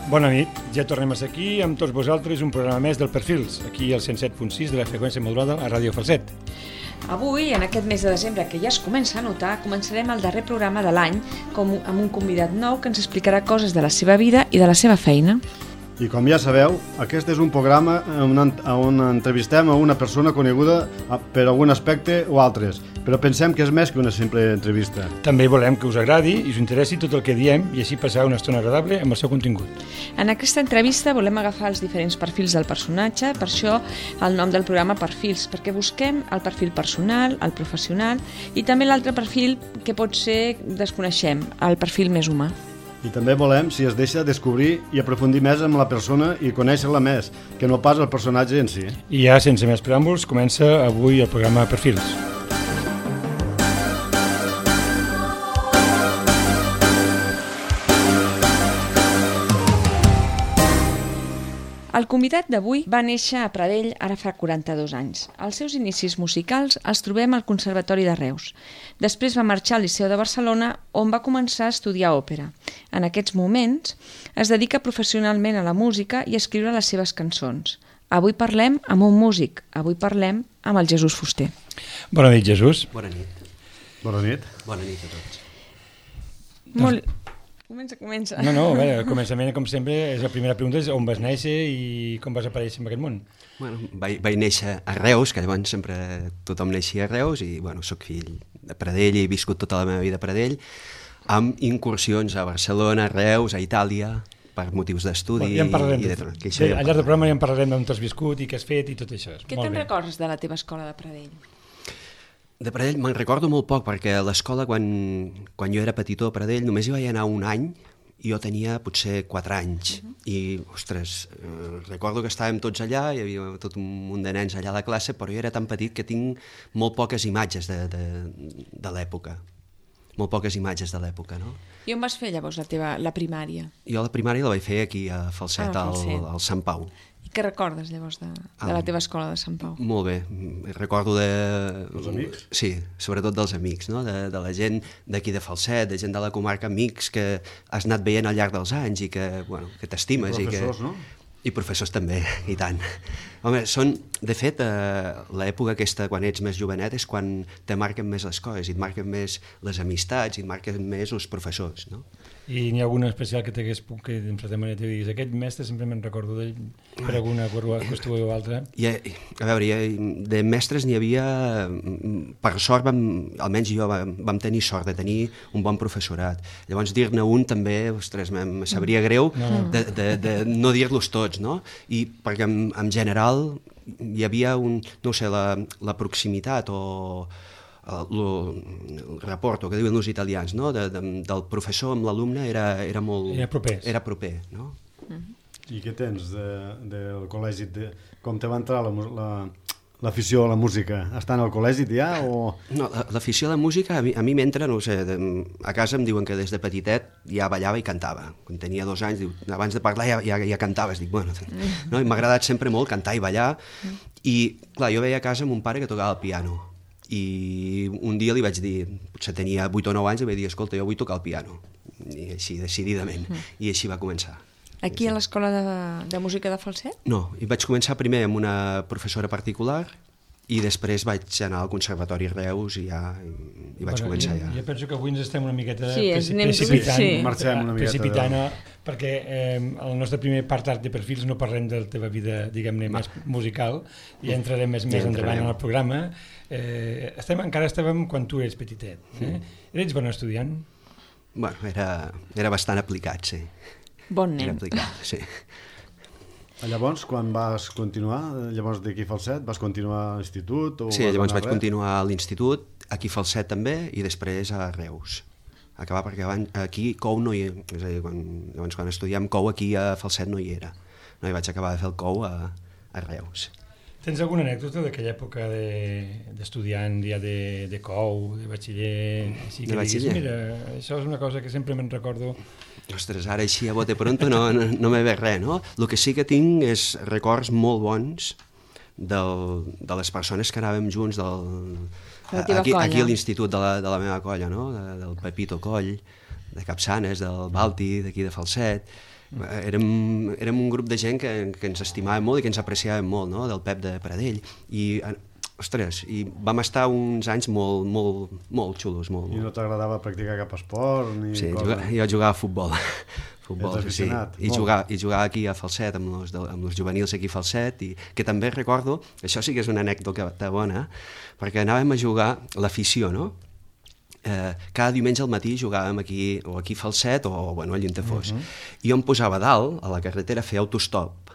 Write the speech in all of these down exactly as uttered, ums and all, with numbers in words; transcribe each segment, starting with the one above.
Bona nit, ja tornem a ser aquí amb tots vosaltres, un programa més del Perfils, aquí al cent set punt sis de la freqüència modulada a Ràdio Falset. Avui, en aquest mes de desembre, que ja es comença a notar, començarem el darrer programa de l'any com amb un convidat nou que ens explicarà coses de la seva vida i de la seva feina. I com ja sabeu, aquest és un programa on, on entrevistem a una persona coneguda per algun aspecte o altres, però pensem que és més que una simple entrevista. També volem que us agradi i us interessi tot el que diem i així passar una estona agradable amb el seu contingut. En aquesta entrevista volem agafar els diferents perfils del personatge, per això el nom del programa Perfils, perquè busquem el perfil personal, el professional i també l'altre perfil que pot ser desconeixem, el perfil més humà. I també volem, si es deixa, descobrir i aprofundir més amb la persona i conèixer-la més, que no pas el personatge en si. I ja, sense més preàmbuls, comença avui el programa Perfils. El convidat d'avui va néixer a Pradell ara fa quaranta-dos anys. Els seus inicis musicals els trobem al Conservatori de Reus. Després va marxar al Liceu de Barcelona, on va començar a estudiar òpera. En aquests moments es dedica professionalment a la música i a escriure les seves cançons. Avui parlem amb un músic, avui parlem amb el Jesús Fuster. Bona nit, Jesús. Bona nit. Bona nit. Bona nit a tots. Molt... Comença, comença. No, no, a veure, al començament, com sempre, és la primera pregunta és on vas néixer i com vas aparèixer en aquest món. Bueno, vaig, vaig néixer a Reus, que llavors sempre tothom neixia a Reus, i bueno, soc fill de Pradell i he viscut tota la meva vida a Pradell, amb incursions a Barcelona, a Reus, a Itàlia, per motius d'estudi. Bueno, ja en parlarem. I de, de, de, de, al llarg del programa ja en parlarem d'on t'has viscut i què has fet i tot això. Què te'n recordes de la teva escola de Pradell? De Pradell me'n recordo molt poc, perquè a l'escola, quan, quan jo era petitó a Pradell, només hi vaig anar un any, i jo tenia potser quatre anys. Uh -huh. I, ostres, eh, recordo que estàvem tots allà, hi havia tot un munt de nens allà a la classe, però jo era tan petit que tinc molt poques imatges de, de, de l'època. Molt poques imatges de l'època, no? I on vas fer llavors la teva la primària? Jo la primària la vaig fer aquí a Falset, ah, Falset. Al, al Sant Pau. I què recordes llavors de, de la teva escola de Sant Pau? Molt bé, recordo de... Els amics? Sí, sobretot dels amics, no? de, de la gent d'aquí de Falset, de gent de la comarca, amics que has anat veient al llarg dels anys i que, bueno, que t'estimes. I professors, i que... no? I professors també, i tant. Home, són, de fet, eh, l'època aquesta, quan ets més jovenet, és quan te marquen més les coses, i et marquen més les amistats, i et marquen més els professors, no? I n'hi ha alguna especial que t'hagués puc que en certa manera t'ho diguis, aquest mestre sempre me'n recordo d'ell per alguna qüestió o altra. I, a veure, hi, de mestres n'hi havia, per sort, vam, almenys jo vam, vam tenir sort de tenir un bon professorat. Llavors dir-ne un també, ostres, em sabria greu no. de, de, de no dir-los tots, no? I perquè en, en general hi havia un, no sé, la, la proximitat o el, el rapport, que diuen els italians, no? de, de, del professor amb l'alumne era, era molt... Era proper. Era proper, no? Uh-huh. I què tens de, del col·legi? De, com te va entrar la, la, l'afició a la música? Estant al col·legi ja o...? No, l'afició a la música a mi, a mi m'entra, no sé, de, a casa em diuen que des de petitet ja ballava i cantava. Quan tenia dos anys, diu, abans de parlar ja, ja, ja cantaves. Dic, bueno, no? I m'ha agradat sempre molt cantar i ballar. I, clar, jo veia a casa mon pare que tocava el piano. I un dia li vaig dir, potser tenia vuit o nou anys, i vaig dir, escolta, jo vull tocar el piano, i així, decididament, mm. i així va començar. Aquí a l'escola de, de música de Falset? No, i vaig començar primer amb una professora particular, i després vaig anar al Conservatori Reus i ja i, i vaig bueno, començar jo, ja. Jo penso que avui ens estem una miqueta sí, precipitant, sí. Marxem una miqueta precipitant de... perquè eh, el nostre primer apartat de perfils no parlem de la teva vida, diguem-ne, més musical, i entrarem més, més endavant en el programa. Eh, estem, encara estàvem quan tu eres petitet. Eh? Mm. Eres bon estudiant? Bueno, era, era bastant aplicat, sí. Bon nen. Era aplicat, sí. Llavors, quan vas continuar, llavors d'aquí a Falset, vas continuar a l'institut? O sí, llavors vaig res? continuar a l'institut, aquí a Falset també, i després a Reus. Acabar perquè abans, aquí Cou no hi era, és a dir, quan, llavors quan estudiem Cou aquí a Falset no hi era. No hi vaig acabar de fer el Cou a, a Reus. Tens alguna anècdota d'aquella època d'estudiant, de, ja de, de Cou, de batxiller? Així que de batxiller? Diguis, mira, això és una cosa que sempre me'n recordo. Ostres, ara així a bote pronto no, no, no me ve res, no? El que sí que tinc és records molt bons del, de les persones que anàvem junts del, aquí, aquí a l'institut de, la, de la meva colla, no? De, del Pepito Coll, de Capçanes, del Balti, d'aquí de Falset. érem, érem un grup de gent que, que ens estimàvem molt i que ens apreciàvem molt, no? Del Pep de Pradell. I, ostres, i vam estar uns anys molt, molt, molt xulos. Molt, I no t'agradava practicar cap esport? Ni sí, cosa... juga, jo jugava a futbol. futbol Ets sí. I, molt. jugar, I jugar aquí a Falset, amb els, amb els juvenils aquí a Falset, i que també recordo, això sí que és una anècdota bona, perquè anàvem a jugar l'afició, no? Eh, cada diumenge al matí jugàvem aquí, o aquí a Falset, o bueno, allà on fos. Uh -huh. I jo em posava a dalt, a la carretera, a fer autostop,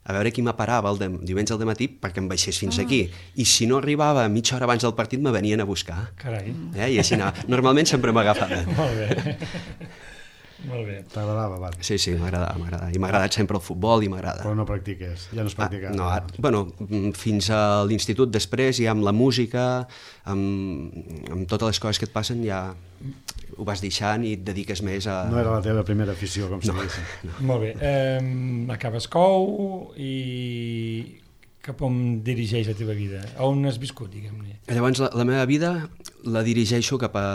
a veure qui m'aparava el de, diumenge al matí perquè em baixés fins ah. aquí. I si no arribava mitja hora abans del partit, me venien a buscar. Carai. Eh? I així anava. Normalment sempre m'agafava. Molt bé. Molt bé. T'agradava, va. Sí, sí, m'agradava, m'agradava. I m'ha agradat sempre el futbol i m'agrada. Però no practiques, ja no es practica. Ah, no, ara, bueno, fins a l'institut després, ja amb la música, amb, amb totes les coses que et passen, ja ho vas deixant i et dediques més a... No era la teva primera afició, com no, se diu. No. Molt bé. Um, acabes cou i cap on dirigeix la teva vida? On has viscut, diguem-ne? Llavors, la, la meva vida la dirigeixo cap a,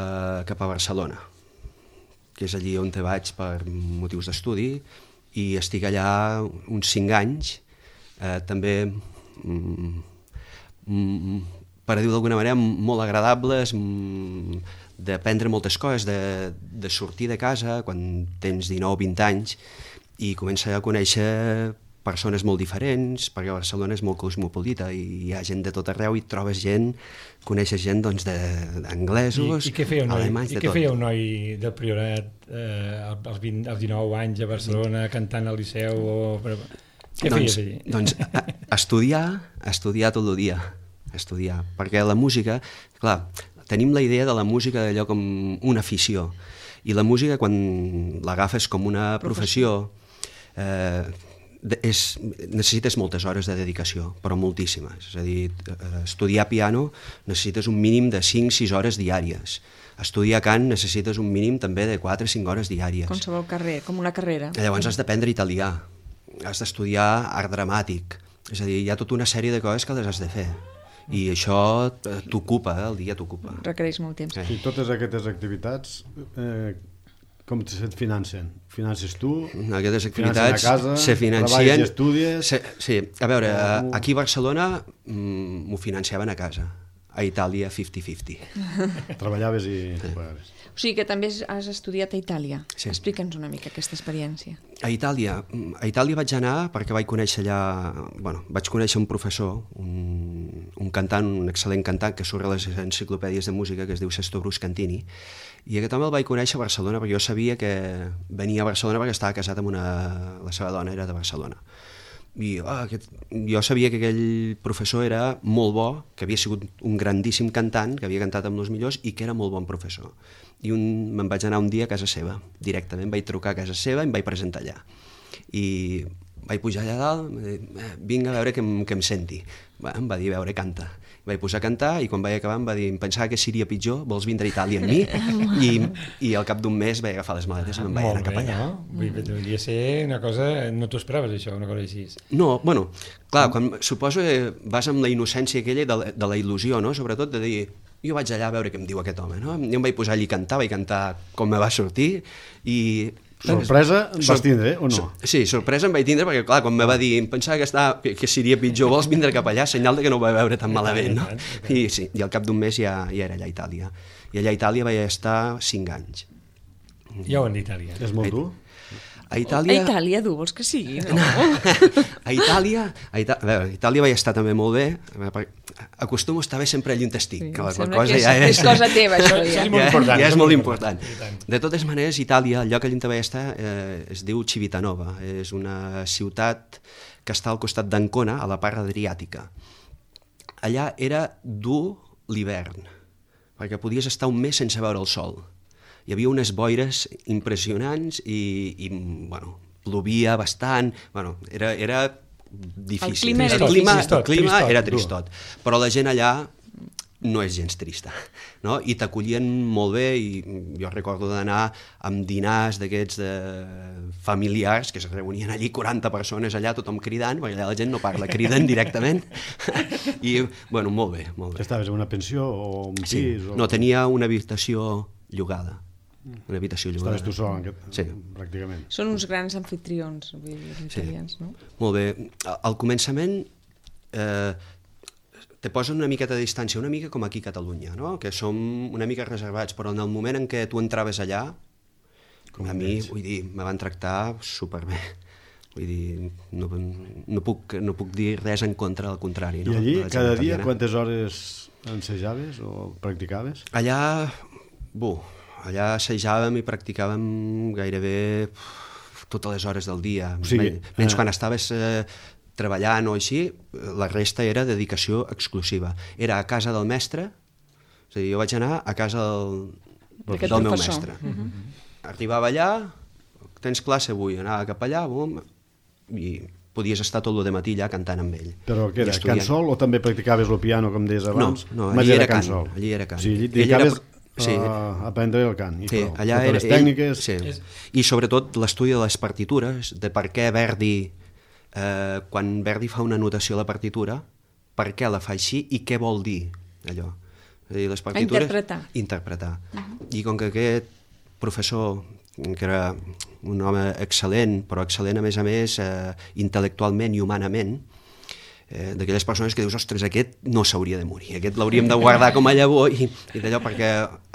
cap a Barcelona, que és allí on te vaig per motius d'estudi, i estic allà uns cinc anys, eh, també, mm, mm, per dir-ho d'alguna manera, molt agradables, mm, d'aprendre moltes coses, de, de sortir de casa quan tens dinou o vint anys i començar a conèixer persones molt diferents, perquè Barcelona és molt cosmopolita i hi ha gent de tot arreu i trobes gent, coneixes gent doncs, d'anglesos, I, i què feia un noi, alemanys, i de què tot. feia un noi del Priorat eh, als, vint, als dinou anys a Barcelona cantant al Liceu? O... Què doncs, feies allí? Doncs a, estudiar, estudiar tot el dia, estudiar, perquè la música, clar, tenim la idea de la música d'allò com una afició, i la música quan l'agafes com una professió, eh, és, necessites moltes hores de dedicació, però moltíssimes. És a dir, estudiar piano necessites un mínim de cinc o sis hores diàries. Estudiar cant necessites un mínim també de quatre o cinc hores diàries. Qualsevol carrera, com una carrera. Llavors has d'aprendre italià, has d'estudiar art dramàtic, és a dir, hi ha tota una sèrie de coses que les has de fer. I això t'ocupa, eh? El dia t'ocupa. Requereix molt temps. I totes aquestes activitats, eh, com se't financen? Finances tu? Aquestes activitats a casa, se financen... treballes i estudies... Se, sí, a veure, aquí a Barcelona m'ho financiaven a casa. A Itàlia, cinquanta cinquanta. Treballaves i... Sí. O sigui que també has estudiat a Itàlia. Sí. Explica'ns una mica aquesta experiència. A Itàlia, a Itàlia vaig anar perquè vaig conèixer allà... Bueno, vaig conèixer un professor, un, un cantant, un excel·lent cantant que surt a les enciclopèdies de música, que es diu Sesto Bruscantini, i aquest home el vaig conèixer a Barcelona perquè jo sabia que venia a Barcelona perquè estava casat amb una... La seva dona era de Barcelona. I oh, aquest, jo sabia que aquell professor era molt bo, que havia sigut un grandíssim cantant, que havia cantat amb els millors i que era molt bon professor. I un, me'n vaig anar un dia a casa seva, directament vaig trucar a casa seva i em vaig presentar allà. I vaig pujar allà dalt, eh, vinga a veure que em, que em senti. Va, em va dir, a veure, canta. Vaig posar a cantar i quan vaig acabar em va dir, em pensava que seria pitjor, vols vindre a Itàlia amb mi? I, i al cap d'un mes vaig agafar les maletes i me'n vaig anar cap allà. No? Vull dir, devia ser una cosa... No t'ho esperaves, això, una cosa així. No, bueno, clar, quan, suposo que vas amb la innocència aquella de la, de la il·lusió, no? Sobretot de dir, jo vaig allà a veure què em diu aquest home, no? Jo em vaig posar allí a cantar, vaig cantar com me va sortir i... Sorpresa em vas tindre, o no? Sí, sorpresa em vaig tindre perquè, clar, quan me va dir em pensava que, estava, que, que seria pitjor, vols vindre cap allà, senyal de que no ho va veure tan malament, no? I, sí, i al cap d'un mes ja, ja era allà a Itàlia. I allà a Itàlia vaig estar cinc anys. Ja ho han dit, Itàlia. És molt dur? A Itàlia... A Itàlia, tu vols que sigui, no? a Itàlia... A, Ita... a veure, a Itàlia vaig estar també molt bé. Acostumo a estar bé sempre allà on estic. Sí, que la sembla cosa que és, ja és... és cosa teva, això. Ja, és molt important. Ja és molt important. De totes maneres, Itàlia, el lloc allà on vaig estar, eh, es diu Civitanova. És una ciutat que està al costat d'Ancona, a la part adriàtica. Allà era dur l'hivern, perquè podies estar un mes sense veure el sol. Hi havia unes boires impressionants i, i bueno, plovia bastant, bueno, era, era difícil. El clima era el clima, tristot, el clima tristot, era tristot, però la gent allà no és gens trista, no? I t'acollien molt bé i jo recordo d'anar amb dinars d'aquests de familiars que es reunien allí quaranta persones allà, tothom cridant, perquè allà la gent no parla, criden directament i, bueno, molt bé, molt bé. Que estaves en una pensió o un pis? Sí. O... No, tenia una habitació llogada. una habitació llogada. Estaves tu sol, en aquest, sí. pràcticament. Són uns grans anfitrions, vull dir, els italians, sí. No? Molt bé. Al començament eh, te posen una miqueta de distància, una mica com aquí a Catalunya, no? Que som una mica reservats, però en el moment en què tu entraves allà, com a mi, vull dir, me van tractar superbé. Vull dir, no, no, puc, no puc dir res en contra, al contrari. No? I allí, cada dia, quantes hores ensejaves o practicaves? Allà, bu, allà assajàvem i practicàvem gairebé totes les hores del dia. O sigui, menys eh... quan estaves eh, treballant o així, la resta era dedicació exclusiva. Era a casa del mestre, és a dir, jo vaig anar a casa del, del meu mestre. Uh-huh. Arribava allà, tens classe avui, anava cap allà, bum, i podies estar tot el matí allà cantant amb ell. Però què era, cansol o també practicaves el piano, com deies abans? No, no, allí era cant, allí era cant. O sigui, allí dedicaves era... sí. a aprendre el cant, i sí, prou. Allà era, les tècniques... Sí. És... I sobretot l'estudi de les partitures, de per què Verdi, eh, quan Verdi fa una notació a la partitura, per què la fa així i què vol dir allò. És a dir, les partitures... A interpretar. Interpretar. Uh-huh. I com que aquest professor, que era un home excel·lent, però excel·lent a més a més eh, intel·lectualment i humanament, eh, d'aquelles persones que dius, ostres, aquest no s'hauria de morir, aquest l'hauríem de guardar com a llavor, i, i d'allò perquè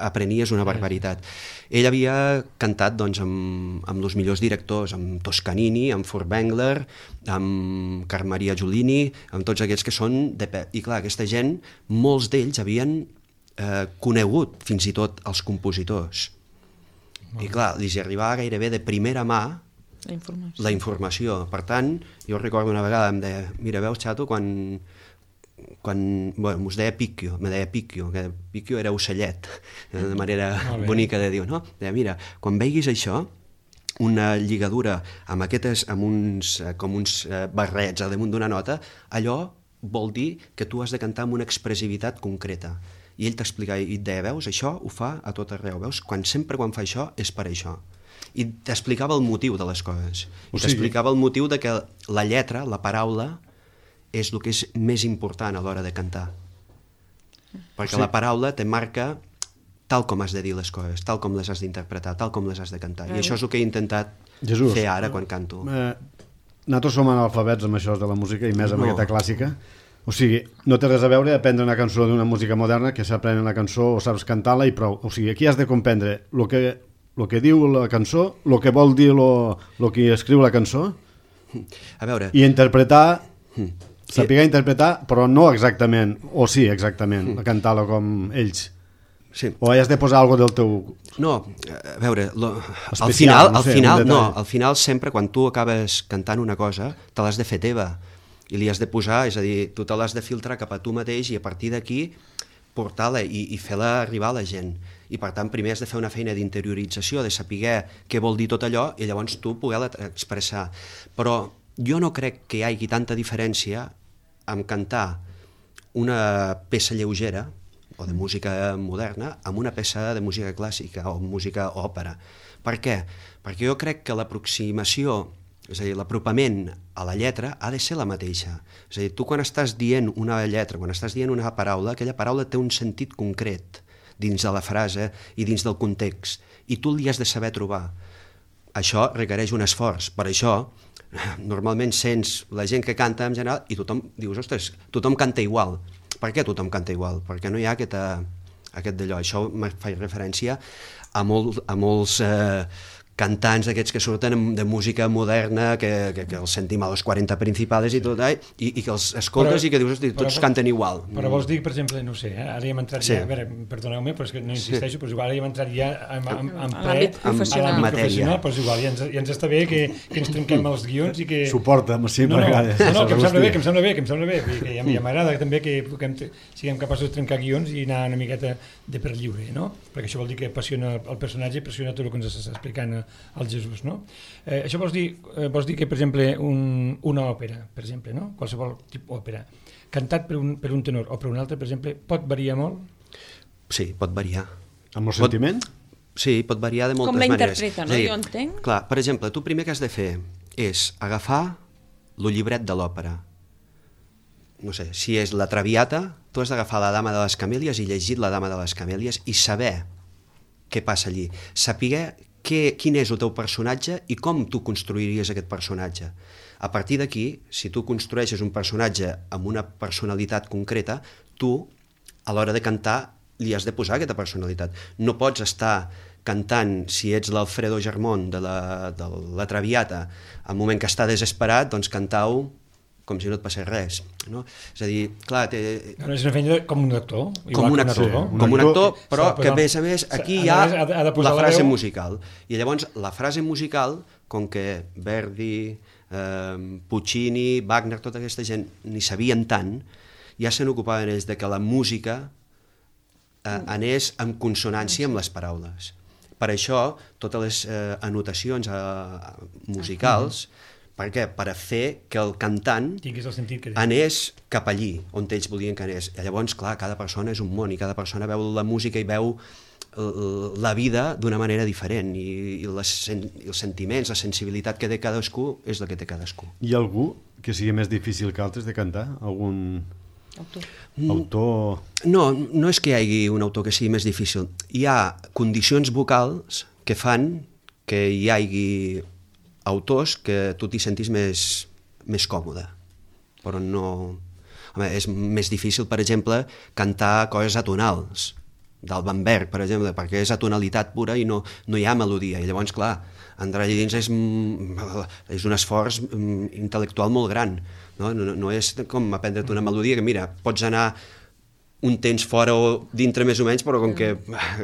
aprenies una barbaritat. Ell havia cantat doncs, amb, amb els millors directors, amb Toscanini, amb Furtwängler, amb Carl Maria Giulini, amb tots aquests que són de pe... I clar, aquesta gent, molts d'ells havien eh, conegut fins i tot els compositors. I clar, li arribava gairebé de primera mà la informació. la informació. Per tant, jo recordo una vegada, em deia, mira, veus, xato, quan... quan bueno, mos deia Picchio, me deia Picchio, que Picchio era ocellet, de manera bonica de dir, no? Deia, mira, quan veiguis això, una lligadura amb aquestes, amb uns, com uns barrets al damunt d'una nota, allò vol dir que tu has de cantar amb una expressivitat concreta. I ell t'explicava, i et deia, veus, això ho fa a tot arreu, veus? Quan, sempre quan fa això és per això. I t'explicava el motiu de les coses. I t'explicava el motiu de que la lletra, la paraula, és el que és més important a l'hora de cantar. Perquè la paraula te marca tal com has de dir les coses, tal com les has d'interpretar, tal com les has de cantar. I això és el que he intentat fer ara quan canto. Nosaltres som analfabets amb això de la música, i més amb aquesta clàssica. O sigui, no té res a veure aprendre una cançó d'una música moderna, que s'aprèn la cançó o saps cantar-la i prou. O sigui, aquí has de comprendre el que, el que diu la cançó, el que vol dir el que escriu la cançó, a veure, i interpretar, saber interpretar, però no exactament, o sí, exactament, cantar-la com ells. Sí. O has de posar alguna del teu... No, a veure, lo, especial, al final, no sé, al final, no, al final sempre quan tu acabes cantant una cosa, te l'has de fer teva. I li has de posar, és a dir, tu te l'has de filtrar cap a tu mateix i a partir d'aquí portar-la i, i fer-la arribar a la gent. I per tant, primer has de fer una feina d'interiorització, de saber què vol dir tot allò i llavors tu poder-la expressar. Però jo no crec que hi hagi tanta diferència en cantar una peça lleugera o de música moderna amb una peça de música clàssica o música òpera. Per què? Perquè jo crec que l'aproximació, és a dir, l'apropament a la lletra ha de ser la mateixa. És a dir, tu quan estàs dient una lletra, quan estàs dient una paraula, aquella paraula té un sentit concret dins de la frase i dins del context, i tu li has de saber trobar. Això requereix un esforç. Per això, normalment sents la gent que canta en general i tothom dius, ostres, tothom canta igual. Per què tothom canta igual? Perquè no hi ha aquesta, aquest d'allò. Això me fa referència a, molt, a molts... Eh, cantants d'aquests que surten de música moderna, que, que, que els sentim a les quaranta principals i tot, i, i que els escoltes però, i que dius, hosti, tots però, canten igual. Però vols dir, per exemple, no sé, eh? ara hi hem entrat sí. ja, a veure, perdoneu-me, però és que no insisteixo, sí. però igual ara hi hem entrat ja en, en, en ple, l'àmbit professional, en professional, però igual ja ens, ja ens està bé que, que ens trenquem els guions i que... Suporta'm, sí, no, no, no, no, que em sembla bé, que em sembla bé, que em sembla bé, que ja, ja m'agrada també que, que siguem capaços de trencar guions i anar una miqueta de per lliure, no? Perquè això vol dir que apassiona el personatge i apassiona tot el que ens està explicant el Jesús, no? Eh, això vols dir, eh, vols dir que, per exemple, un, una òpera, per exemple, no? Qualsevol tipus d'òpera, cantat per un, per un tenor o per un altre, per exemple, pot variar molt? Sí, pot variar. Amb el pot, sentiment? Sí, pot variar de moltes maneres. Com la maneres. interpreta, no? Dir, jo entenc. Clar, per exemple, tu primer que has de fer és agafar el llibret de l'òpera. No sé, si és la Traviata, tu has d'agafar la Dama de les Camèlies i llegir la Dama de les Camèlies i saber què passa allí. Saber què, quin és el teu personatge i com tu construiries aquest personatge. A partir d'aquí, si tu construeixes un personatge amb una personalitat concreta, tu, a l'hora de cantar, li has de posar aquesta personalitat. No pots estar cantant, si ets l'Alfredo Germont de la, de la Traviata, al moment que està desesperat, doncs cantar-ho com si no et passés res. No? És a dir, clar... Té... No, és una feina com un actor. Com un actor, no? com un actor, però que a més a més aquí hi ha la frase musical. I llavors la frase musical, com que Verdi, eh, Puccini, Wagner, tota aquesta gent ni sabien tant, ja se n'ocupaven ells de que la música eh, anés en consonància amb les paraules. Per això, totes les eh, anotacions eh, musicals... Per què? Per a fer que el cantant el sentit que anés cap allí, on ells volien que anés. I llavors, clar, cada persona és un món i cada persona veu la música i veu la vida d'una manera diferent i, i, les, i els sentiments, la sensibilitat que té cadascú és la que té cadascú. Hi ha algú que sigui més difícil que altres de cantar? Algun autor? autor... No, no és que hi hagi un autor que sigui més difícil. Hi ha condicions vocals que fan que hi hagi autors que tu t'hi sentis més, més còmode, però no... Home, és més difícil, per exemple, cantar coses atonals, d'Alban Berg, per exemple, perquè és atonalitat pura i no, no hi ha melodia, i llavors, clar, entrar allà dins és, és un esforç intel·lectual molt gran, no, no, no és com aprendre't una melodia, que mira, pots anar un temps fora o dintre més o menys, però com que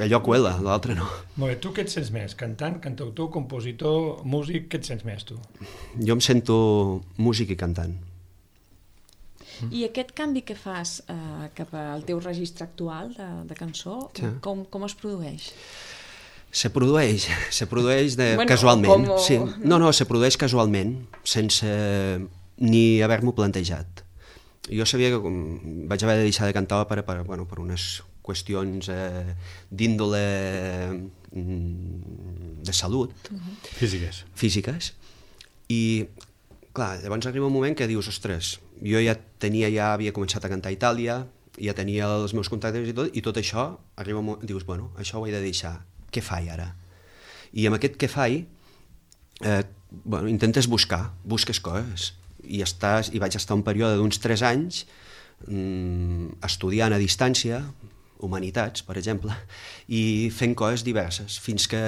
allò cuela, l'altre no. Molt bé, tu què et sents més? Cantant, cantautor, compositor, músic, què et sents més, tu? Jo em sento músic i cantant. I aquest canvi que fas eh, cap al teu registre actual de, de cançó, sí. com, com es produeix? Se produeix, se produeix de, bueno, casualment. Com... Sí. No, no, se produeix casualment, sense ni haver-m'ho plantejat. Jo sabia que vaig haver de deixar de cantar per, per, bueno, per unes qüestions eh, d'índole de salut. Uh-huh. Físiques. Físiques. I, clar, llavors arriba un moment que dius, ostres, jo ja tenia, ja havia començat a cantar a Itàlia, ja tenia els meus contactes i tot, i tot això, arriba un moment, dius, bueno, això ho he de deixar. Què faig ara? I amb aquest què faig, eh, bueno, intentes buscar, busques coses. I, estàs, i vaig estar un període d'uns tres anys mmm, estudiant a distància, humanitats, per exemple, i fent coses diverses, fins que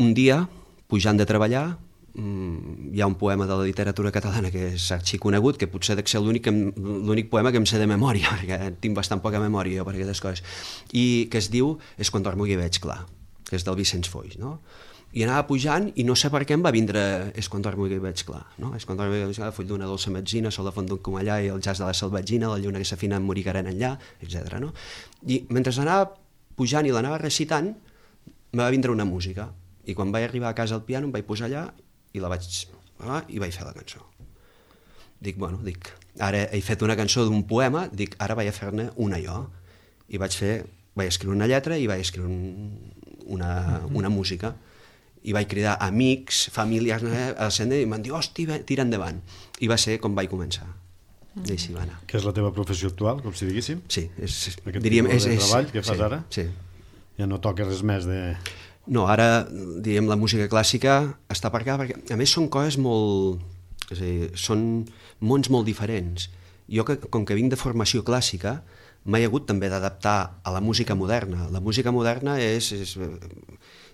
un dia, pujant de treballar, mmm, hi ha un poema de la literatura catalana que és arxiconegut, que potser dec ser l'únic, l'únic poema que em sé de memòria, perquè tinc bastant poca memòria jo per aquestes coses, i que es diu És quan dormo i veig clar, que és del Vicenç Foix, no? I anava pujant i no sé per què em va vindre És quan dormo i veig clar, no? És quan dormo i veig clar, full d'una dolça metzina, sol a font d'un comallà i el jazz de la salvatgina, la lluna que s'afina amb morigarent enllà, etcètera. No? I mentre anava pujant i l'anava recitant, me va vindre una música. I quan vaig arribar a casa al piano em vaig posar allà i la vaig ah, i vaig fer la cançó. Dic, bueno, dic, ara he fet una cançó d'un poema, dic, ara vaig a fer-ne una jo. I vaig fer, vaig escriure una lletra i vaig escriure un, una, una música. I vaig cridar amics, famílies a l'escena i m'han dit, hosti, tira endavant. I va ser com vaig començar. I així va anar. Que és la teva professió actual, com si diguéssim? Sí. És, Aquest diríem, tipus de és, treball que fas sí, ara? Sí. Ja no toques res més de... No, ara, diríem, la música clàssica està per acá, perquè a més són coses molt... És a dir, són mons molt diferents. Jo, que, com que vinc de formació clàssica, m'he hagut també d'adaptar a la música moderna. La música moderna és... és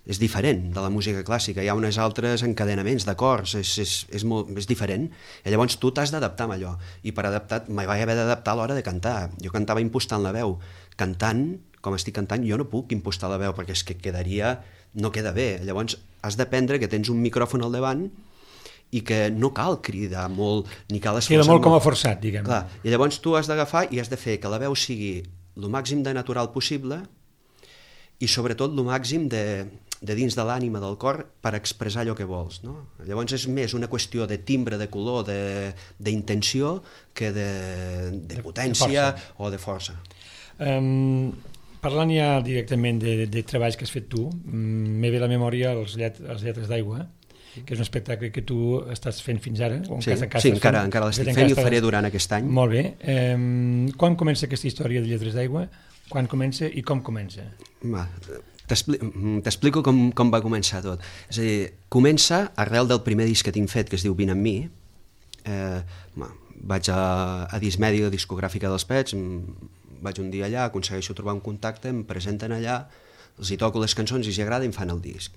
és diferent de la música clàssica, hi ha uns altres encadenaments d'acords, és, és, és, molt, és diferent, i llavors tu t'has d'adaptar a allò, i per adaptar, m'hi vaig haver d'adaptar a l'hora de cantar. Jo cantava impostant la veu, cantant, com estic cantant, jo no puc impostar la veu, perquè és que quedaria, no queda bé, llavors has d'aprendre que tens un micròfon al davant i que no cal cridar molt, ni cal esforçar molt. Queda molt com a molt. forçat, diguem. Clar, i llavors tu has d'agafar i has de fer que la veu sigui el màxim de natural possible i sobretot el màxim de, de dins de l'ànima del cor per expressar allò que vols. No? Llavors és més una qüestió de timbre, de color, d'intenció que de, de potència de o de força. Um, parlant ja directament de, de treballs que has fet tu, m'he ve a la memòria els, llet, els Lletres d'Aigua, que és un espectacle que tu estàs fent fins ara. O sí, casa, casa sí encara, fent, encara l'estic fent i el faré durant aquest any. Molt bé. Um, quan comença aquesta història de Lletres d'Aigua? quan comença i com comença? Va, t'explico com, com va començar tot. És a dir, comença arrel del primer disc que tinc fet, que es diu Vine amb mi. Eh, va, vaig a, a Dismèdia, discogràfica dels Pets, vaig un dia allà, aconsegueixo trobar un contacte, em presenten allà, els hi toco les cançons i els agrada i em fan el disc.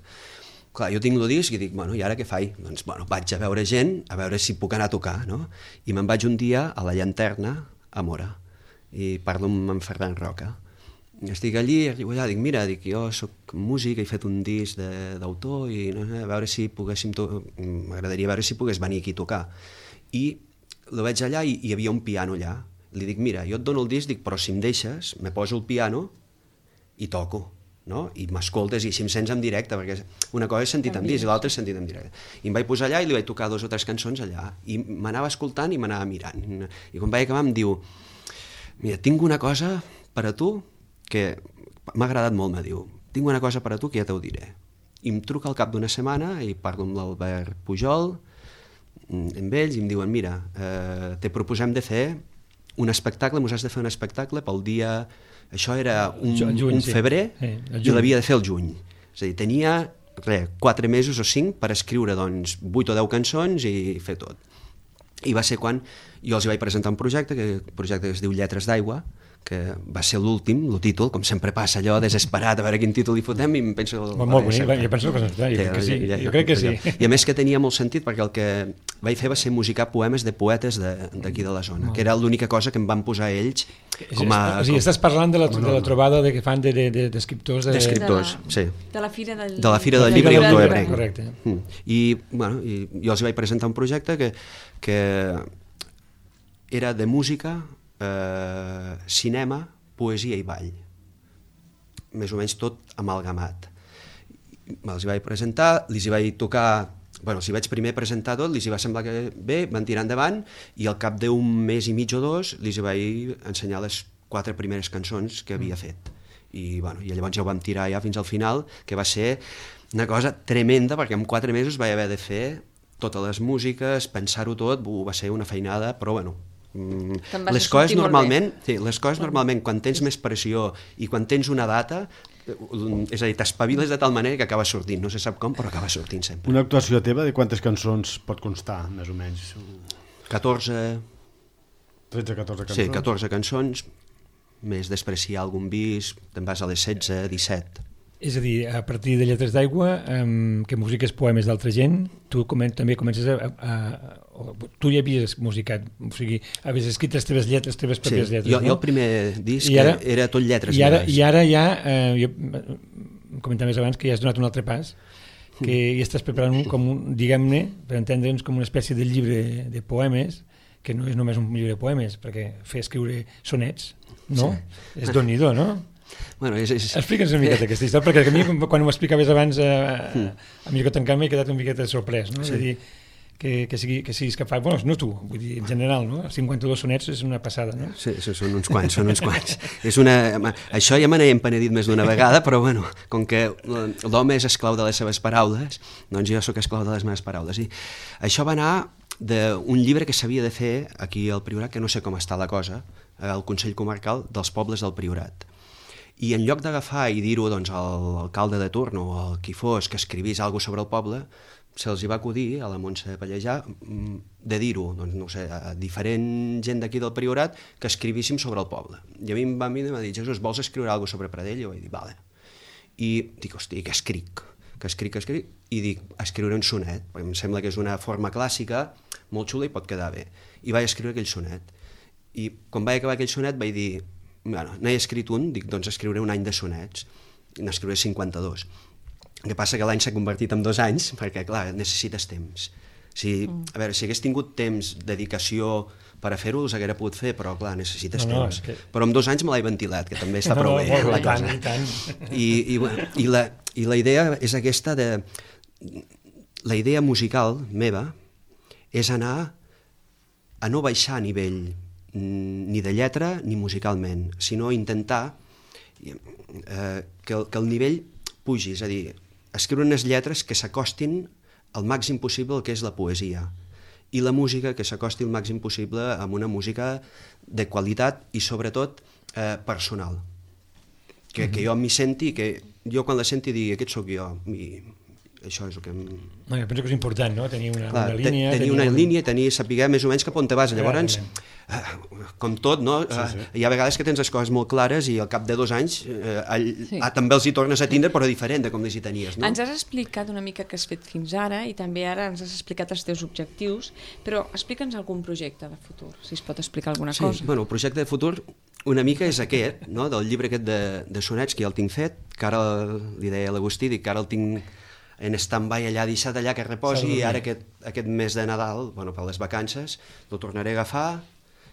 Clar, jo tinc el disc i dic, bueno, i ara què faig? Doncs, bueno, vaig a veure gent, a veure si puc anar a tocar, no? I me'n vaig un dia a la Llanterna, a Móra, i parlo amb en Ferran Roca. Estic allí, arribo allà, dic, mira, dic, jo soc músic, he fet un disc d'autor i no sé, a veure si poguéssim... M'agradaria veure si pogués venir aquí a tocar. I el veig allà i hi havia un piano allà. Li dic, mira, jo et dono el disc, dic, però si em deixes, me poso el piano i toco, no? I m'escoltes i així em sents en directe, perquè una cosa és sentit en disc i l'altra és sentit en directe. I em vaig posar allà i li vaig tocar dos o tres cançons allà. I m'anava escoltant i m'anava mirant. I quan vaig acabar em diu, mira, tinc una cosa per a tu que m'ha agradat molt, me diu, tinc una cosa per a tu que ja t'ho diré. I em truca al cap d'una setmana i parlo amb l'Albert Pujol, amb ells, i em diuen, mira, eh, te proposem de fer un espectacle, mos has de fer un espectacle pel dia... Això era un, juny, un febrer sí. Sí, i l'havia de fer el juny. És a dir, tenia res, quatre mesos o cinc per escriure doncs, vuit o deu cançons i fer tot. I va ser quan jo els hi vaig presentar un projecte, que un projecte que es diu Lletres d'Aigua, que va ser l'últim, el títol, com sempre passa allò, desesperat, a veure quin títol hi fotem, i em penso... Molt, molt bonic, jo penso que, jo crec que sí, jo crec que sí. I a més que tenia molt sentit, perquè el que vaig fer va ser musicar poemes de poetes d'aquí de la zona, que era l'única cosa que em van posar ells com a... O sigui, estàs parlant de la, de la trobada de que fan d'escriptors... De, de, de, d'escriptors, sí. De la Fira del, de la Fira del Llibre i Autor Ebrenc. Correcte. I, bueno, i jo els vaig presentar un projecte que, que era de música, eh, cinema, poesia i ball. Més o menys tot amalgamat. Els hi vaig presentar, els hi vaig tocar... Bueno, els hi vaig primer presentar tot, els hi va semblar que bé, van tirar endavant, i al cap d'un mes i mig o dos els hi vaig ensenyar les quatre primeres cançons que havia fet. I, bueno, i llavors ja ho vam tirar ja fins al final, que va ser una cosa tremenda, perquè en quatre mesos vaig haver de fer totes les músiques, pensar-ho tot, va ser una feinada, però bueno, les coses normalment, sí, les coses normalment quan tens més pressió i quan tens una data, és a dir, t'espaviles de tal manera que acaba sortint, no se sap com, però acaba sortint sempre. Una actuació teva de quantes cançons pot constar, més o menys? catorze... tretze, catorze cançons? Sí, catorze cançons, més després si hi ha algun bis, te'n vas a les setze, disset. És a dir, a partir de Lletres d'Aigua, um, que musiques poemes d'altra gent, tu comen també comences a, a, a... Tu ja havies musicat, o sigui, havies escrit les teves lletres, les teves pròpies sí, lletres, jo, no? Jo el primer disc ara, era tot lletres. I ara, i ara ja, eh, jo comentaves abans que ja has donat un altre pas, que ja estàs preparant un, com un, diguem-ne, per entendre'ns, com una espècie de llibre de poemes, que no és només un llibre de poemes, perquè fer escriure sonets, no? Sí. És Déu-n'hi-do, no? Bueno, és, és... Explica'ns una miqueta aquesta història, perquè a mi, quan ho explicaves abans, eh, a mi que tancant m'he quedat una miqueta sorprès, no? Sí. És a dir, que, que, sigui, que siguis capaç, bueno, no tu, vull dir, en general, no? cinquanta-dos sonets és una passada, no? Sí, són uns quants, són uns quants. És una... Això ja me n'he empenedit més d'una vegada, però bueno, com que l'home és esclau de les seves paraules, doncs jo sóc esclau de les meves paraules. I això va anar d'un llibre que s'havia de fer aquí al Priorat, que no sé com està la cosa, al Consell Comarcal dels Pobles del Priorat. I en lloc d'agafar i dir-ho doncs, a l'alcalde de turn o a qui fos que escrivís alguna cosa sobre el poble, se'ls hi va acudir a la Montse Pallejà de dir-ho, doncs, no sé, a diferent gent d'aquí del Priorat que escrivíssim sobre el poble. I a mi em va, em va dir, Jesús, vols escriure alguna cosa sobre Pradell? I jo vaig dir, vale. I dic, hosti, què escric? Que escric, que escric? I dic, escriure un sonet, perquè em sembla que és una forma clàssica, molt xula i pot quedar bé. I vaig escriure aquell sonet. I quan vaig acabar aquell sonet vaig dir, bueno, n'he escrit un, dic, doncs escriuré un any de sonets, i n'escriuré cinquanta-dos. El que passa que l'any s'ha convertit en dos anys, perquè, clar, necessites temps. Si, a veure, si hagués tingut temps, dedicació per a fer-ho, els haguera pogut fer, però, clar, necessites no, temps. No, que... Però en dos anys me l'he ventilat, que també està no, prou bé, no, la cosa. I, tant, i, tant. I, i, bueno, i, la, I la idea és aquesta de... La idea musical meva és anar a no baixar a nivell ni de lletra ni musicalment, sinó intentar eh, que, el, que el nivell pugi, és a dir, escriure unes lletres que s'acostin al màxim possible al que és la poesia i la música que s'acosti al màxim possible amb una música de qualitat i sobretot eh, personal. que, que jo m'hi senti, que jo quan la senti digui aquest sóc jo, i això és el que... Em... No, jo penso que és important, no?, tenir una, Clar, una línia... Tenir una un... línia, tenir, saber més o menys cap on te vas. Llavors, eh, com tot, no? Sí, sí. Hi ha vegades que tens les coses molt clares i al cap de dos anys eh, all... sí. ah, també els hi tornes a tindre, però diferent de com les hi tenies, no? Ens has explicat una mica què has fet fins ara i també ara ens has explicat els teus objectius, però explica'ns algun projecte de futur, si es pot explicar alguna sí, cosa. Bueno, el projecte de futur una mica és aquest, no?, del llibre aquest de, de sonets, que ja el tinc fet, que ara li deia a l'Agustí, dic que ara el tinc en stand-by allà, deixat allà, que reposi, i ara aquest, aquest mes de Nadal, bueno, per les vacances, el tornaré a agafar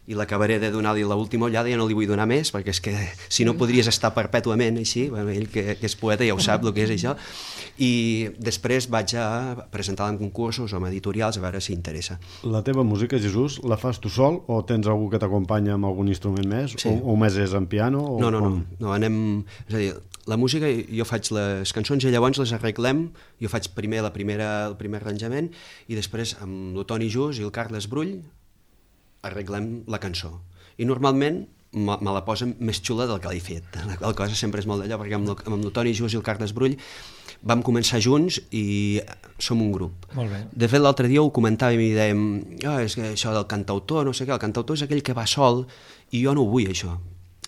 i l'acabaré de donar-li l'última ullada, ja no li vull donar més, perquè és que si no podries estar perpètuament així, bueno, ell que, que és poeta ja ho sap el que és això, i després vaig a presentar-la en concursos o en editorials a veure si interessa. La teva música, Jesús, la fas tu sol o tens algú que t'acompanya amb algun instrument més? Sí. O, o més és en piano? O no, no, com... no, no, anem... És a dir, la música, jo faig les cançons i llavors les arreglem, jo faig primer la primera, el primer arranjament i després amb el Toni Jus i el Carles Brull arreglem la cançó. I normalment me, me la posen més xula del que l'he fet. La qual cosa sempre és molt d'allò, perquè amb el, amb el Toni Jus i el Carles Brull vam començar junts i som un grup. Molt bé. De fet, l'altre dia ho comentàvem i dèiem oh, és que això del cantautor, no sé què, el cantautor és aquell que va sol i jo no ho vull, això.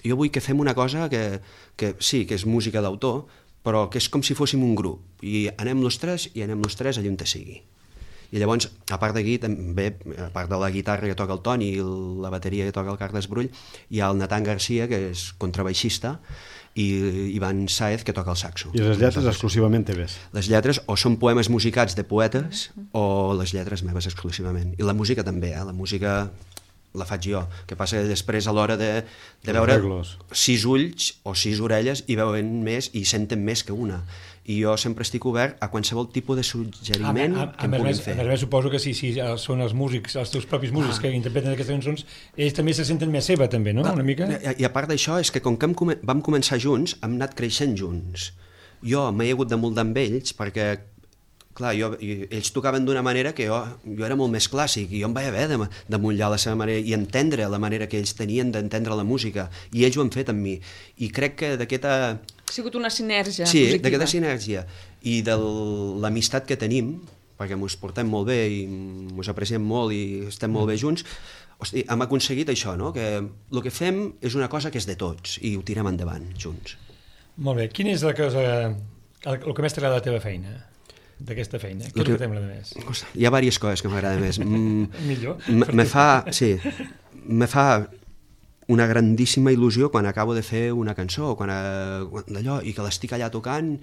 Jo vull que fem una cosa que, que sí, que és música d'autor, però que és com si fóssim un grup. I anem los tres i anem los tres allà on te sigui. I llavors, a part d'aquí, també, a part de la guitarra que toca el Toni i la bateria que toca el Carles Brull, hi ha el Nathan Garcia, que és contrabaixista, i Ivan Saez, que toca el saxo. I les lletres exclusivament teves? Les lletres o són poemes musicats de poetes o les lletres meves exclusivament. I la música també, eh? La música la faig jo. El que passa que després a l'hora de, de veure sis ulls o sis orelles i veuen més i senten més que una. I jo sempre estic obert a qualsevol tipus de suggeriment a, a, a, que em puguin fer. A més, suposo que si, si són els músics, els teus propis músics ah. que interpreten aquestes cançons, ells també se senten més seva, també, no? Ah, una mica? I, I a part d'això, és que com que hem, vam començar junts, hem anat creixent junts. Jo m'he hagut de moldar amb ells perquè clar, jo, ells tocaven d'una manera que jo, jo era molt més clàssic i jo em vaig haver de, de mullar la seva manera i entendre la manera que ells tenien d'entendre la música i ells ho han fet amb mi i crec que d'aquesta... Ha sigut una sinergia sí, positiva. Sí, d'aquesta sinergia i de l'amistat que tenim, perquè mos portem molt bé i mos apreciem molt i estem molt bé junts, hosti, hem aconseguit això, no? Que el que fem és una cosa que és de tots i ho tirem endavant junts. Molt bé, quina és la cosa, el, el que més t'agrada de la teva feina? D'aquesta feina, què és el que t'agrada més? Hi ha diverses coses que m'agrada més. Millor. Me fa, sí, me fa una grandíssima il·lusió quan acabo de fer una cançó, quan, quan d'allò, i que l'estic allà tocant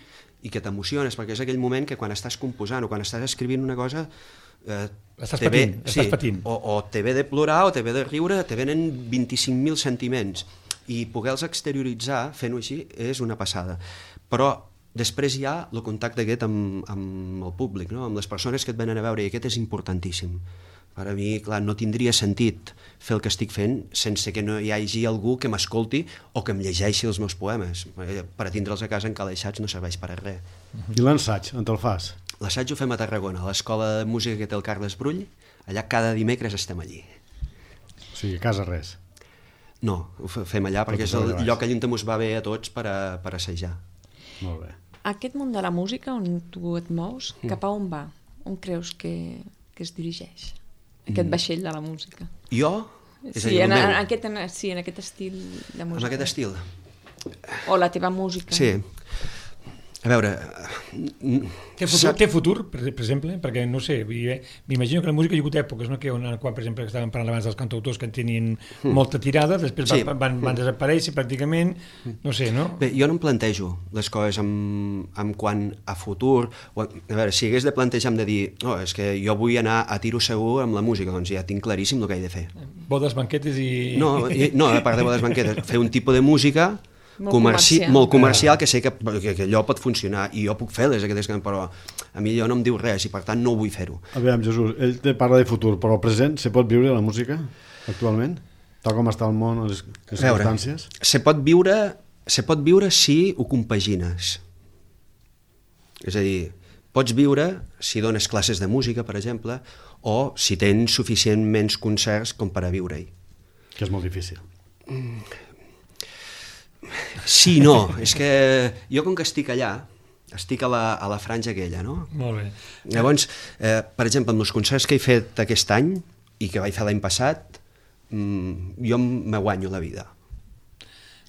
i que t'emociones, perquè és aquell moment que quan estàs composant o quan estàs escrivint una cosa eh, estàs patint, ve, estàs sí, patint. O, o te ve de plorar o te ve de riure, te venen vint-i-cinc mil sentiments i poder-los exterioritzar fent-ho així és una passada. Però després hi ha el contacte aquest amb, amb el públic, no? Amb les persones que et venen a veure, i aquest és importantíssim. Per a mi, clar, no tindria sentit fer el que estic fent sense que no hi hagi algú que m'escolti o que em llegeixi els meus poemes. Per a tindre'ls a casa encalaixats no serveix per a res. I l'ensaig, on te'l fas? L'assaig ho fem a Tarragona, a l'escola de música que té el Carles Brull. Allà cada dimecres estem allí. O sigui, a casa res? No, ho fem allà perquè és el lloc allà on ens va bé a tots per, a, per assajar. Molt bé. Aquest món de la música on tu et mous, cap a on va? On creus que, que es dirigeix? Aquest vaixell de la música. Jo? És sí, dir, en, en aquest, en, sí, en aquest estil de música. En aquest estil? O la teva música. Sí. A veure... Té futur, té futur per, per exemple? Perquè, no sé, m'imagino que la música hi ha hagut èpoques, no? Que on, quan, per exemple, estàvem parlant abans dels cantautors que en tenien mm. molta tirada, després sí. van, van, van desaparèixer pràcticament, no sé, no? Bé, jo no em plantejo les coses amb, amb quant a futur, o, a veure, si hagués de plantejar de dir, no, és que jo vull anar a tiro segur amb la música, doncs ja tinc claríssim el que he de fer. Bodes, banquetes i... No, i, no a part de bodes, banquetes, fer un tipus de música molt comerci comercial, molt comercial que sé que, que, que allò pot funcionar i jo puc fer-les aquestes, però a mi allò no em diu res i per tant no ho vull fer-ho. A veure, Jesús, ell te parla de futur, però el present se pot viure la música actualment? Tal com està el món, les, les circumstàncies? Se pot viure, se pot viure si ho compagines. És a dir, pots viure si dones classes de música, per exemple, o si tens suficientment concerts com per a viure-hi. Que és molt difícil. Mm. Sí, no, és que jo com que estic allà, estic a la, a la franja aquella, no? Molt bé. Llavors, eh, per exemple, amb els concerts que he fet aquest any i que vaig fer l'any passat, mmm, jo me guanyo la vida.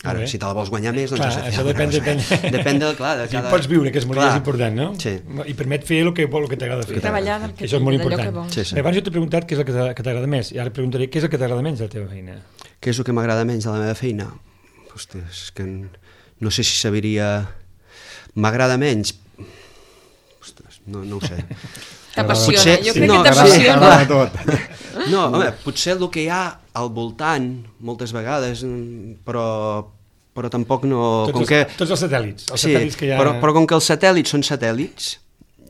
Ara, si te la vols guanyar més, doncs clar, has de fer això depèn, depèn. depèn de, clar, de cada... Si pots viure, que és molt clar. important, no? Sí. I permet fer el que, el que t'agrada fer. Treballar del que, això és molt d'allò important. que vols. Sí, sí. Abans jo t'he preguntat què és el que t'agrada més, i ara preguntaré què és el que t'agrada menys de la teva feina. Què és el que m'agrada menys de la meva feina? Hòstia, és que no sé si sabiria... M'agrada menys... Ostres, no, no ho sé. T'apassiona, Potser... jo crec no, que t'apassiona. T'agrada tot. No, home, potser el que hi ha al voltant, moltes vegades, però, però tampoc no... Tots, com els, que... tots els satèl·lits. Els sí, satèl·lits que hi ha... però, però com que els satèl·lits són satèl·lits,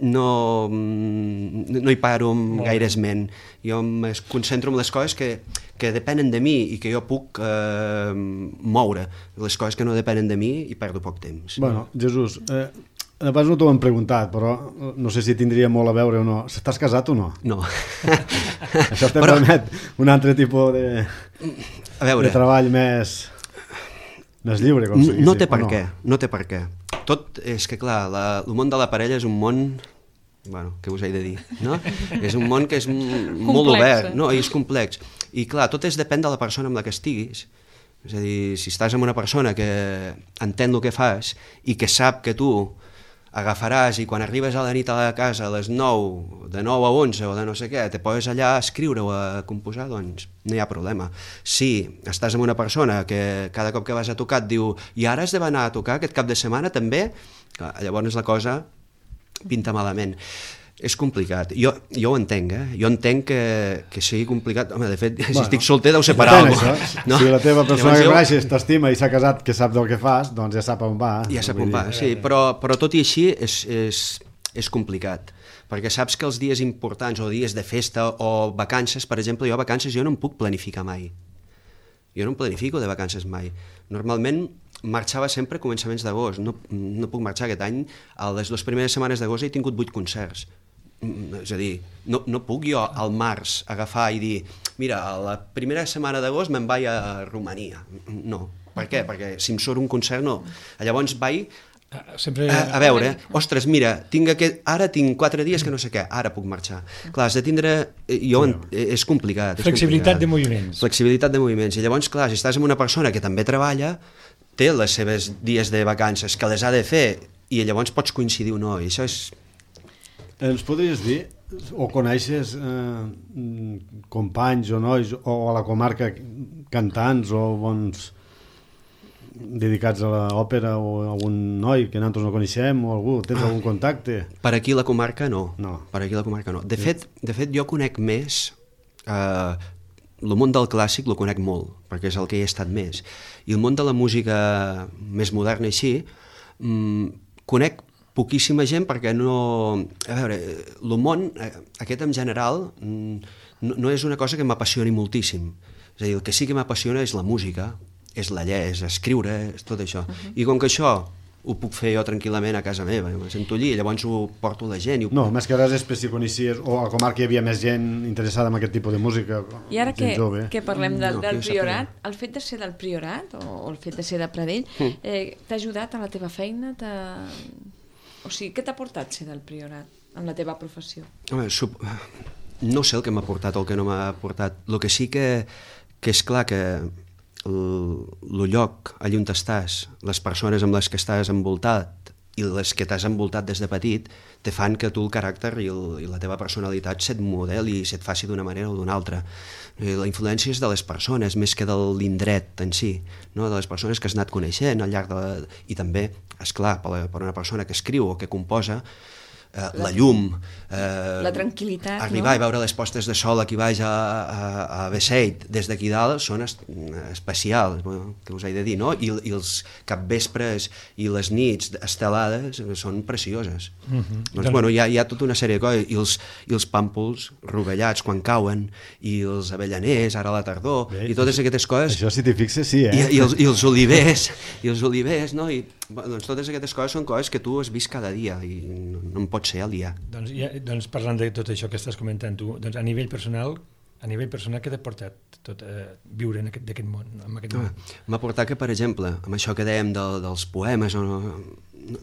no, no hi paro amb gaire esment. Jo em concentro en les coses que, que depenen de mi i que jo puc eh, moure. Les coses que no depenen de mi hi perdo poc temps. Bueno, Jesús, eh, abans no t'ho hem preguntat, però no sé si tindria molt a veure o no. Estàs casat o no? No. Això te però... permet un altre tipus de, a veure, de treball més, més lliure, com si no té per no? què, no té per què. Tot és que, clar, la, el món de la parella és un món... Bueno, què us he de dir, no? És un món que és molt obert, no? I és complex. I, clar, tot és depèn de la persona amb la que estiguis. És a dir, si estàs amb una persona que entén el que fas i que sap que tu agafaràs i quan arribes a la nit a la casa a les nou, de nou a onze o de no sé què, te poses allà a escriure o a composar, doncs no hi ha problema. Si estàs amb una persona que cada cop que vas a tocar et diu i ara has d'anar a tocar aquest cap de setmana també, llavors la cosa pinta malament. És complicat. Jo, jo ho entenc, eh? Jo entenc que, que sigui complicat. Home, de fet, bueno, si estic solter deu ser per alguna cosa. No? Si la teva persona que coneixes t'estima i s'ha casat, que sap del que fas, doncs ja sap on va. Ja sap on va, sí. Però, però tot i així és, és, és complicat. Perquè saps que els dies importants o dies de festa o vacances, per exemple, jo vacances jo no em puc planificar mai. Jo no em planifico de vacances mai. Normalment marxava sempre a començaments d'agost. No, no puc marxar aquest any. A les dues primeres setmanes d'agost he tingut vuit concerts. És a dir, no, no puc jo al març agafar i dir mira, a la primera setmana d'agost me'n vaig a Romania. No. Per què? Perquè si em surt un concert, no. Llavors vaig Sempre... a, a veure, ostres, mira, tinc aquest, ara tinc quatre dies que no sé què, ara puc marxar. Clar, has de tindre... Jo, és complicat. És Flexibilitat complicat. de moviments. Flexibilitat de moviments. I llavors, clar, si estàs amb una persona que també treballa, té les seves dies de vacances, que les ha de fer, i llavors pots coincidir o no, i això és... Ens podries dir, o coneixes eh, companys o nois, o a la comarca cantants o bons dedicats a l'òpera o algun noi que nosaltres no coneixem o algú, tens algun contacte? Per aquí la comarca no. No. Per aquí la comarca no. De fet, de fet jo conec més... Eh, el món del clàssic lo conec molt, perquè és el que hi he estat més. I el món de la música més moderna així, mmm, conec poquíssima gent perquè no... A veure, el món, aquest en general, no, no és una cosa que m'apassioni moltíssim. És a dir, el que sí que m'apassiona és la música, és la llei, és escriure, és tot això. Uh-huh. I com que això ho puc fer jo tranquil·lament a casa meva, em sento allí, llavors ho porto a la gent. I ho... No, més que res és per si coneixies, o a la comarca hi havia més gent interessada en aquest tipus de música. I ara que, que parlem del, no, del Priorat, el fet de ser del Priorat o, o el fet de ser de Pradell, mm. eh, t'ha ajudat a la teva feina? O sigui, què t'ha portat ser del Priorat en la teva professió? Home, sub... no sé el que m'ha portat o el que no m'ha portat. El que sí que, que és clar que el, el lloc allà on estàs, les persones amb les que estàs envoltat i les que t'has envoltat des de petit, te fan que tu el caràcter i, el, i la teva personalitat se't modeli i se't faci d'una manera o d'una altra. La influència és de les persones més que de l'indret en si, no? De les persones que has anat coneixent al llarg de la... I també, esclar, per, la, per una persona que escriu o que composa, eh, la, la llum, eh, la tranquil·litat, arribar no? I veure les postes de sol aquí baix a, a, a Besseit des d'aquí dalt són es, especials, bueno, que us he de dir, no? I, i els capvespres i les nits estelades són precioses. Uh-huh. Doncs, bueno, hi ha, hi ha tota una sèrie de coses, i els, i els pàmpols rovellats quan cauen, i els avellaners ara a la tardor, bé, i totes aquestes coses... Això, si t'hi fixes, sí, eh? I, i, els, i els olivers, i els olivers, no? I, doncs totes aquestes coses són coses que tu has vist cada dia, i no, no en pot ser aliar. Doncs, ja, doncs parlant de tot això que estàs comentant tu, doncs a nivell personal, A nivell personal, què t'ha portat tot a viure en aquest, d'aquest món? En aquest món? Ah, m'ha portat que, per exemple, amb això que dèiem de, dels poemes, o no, no,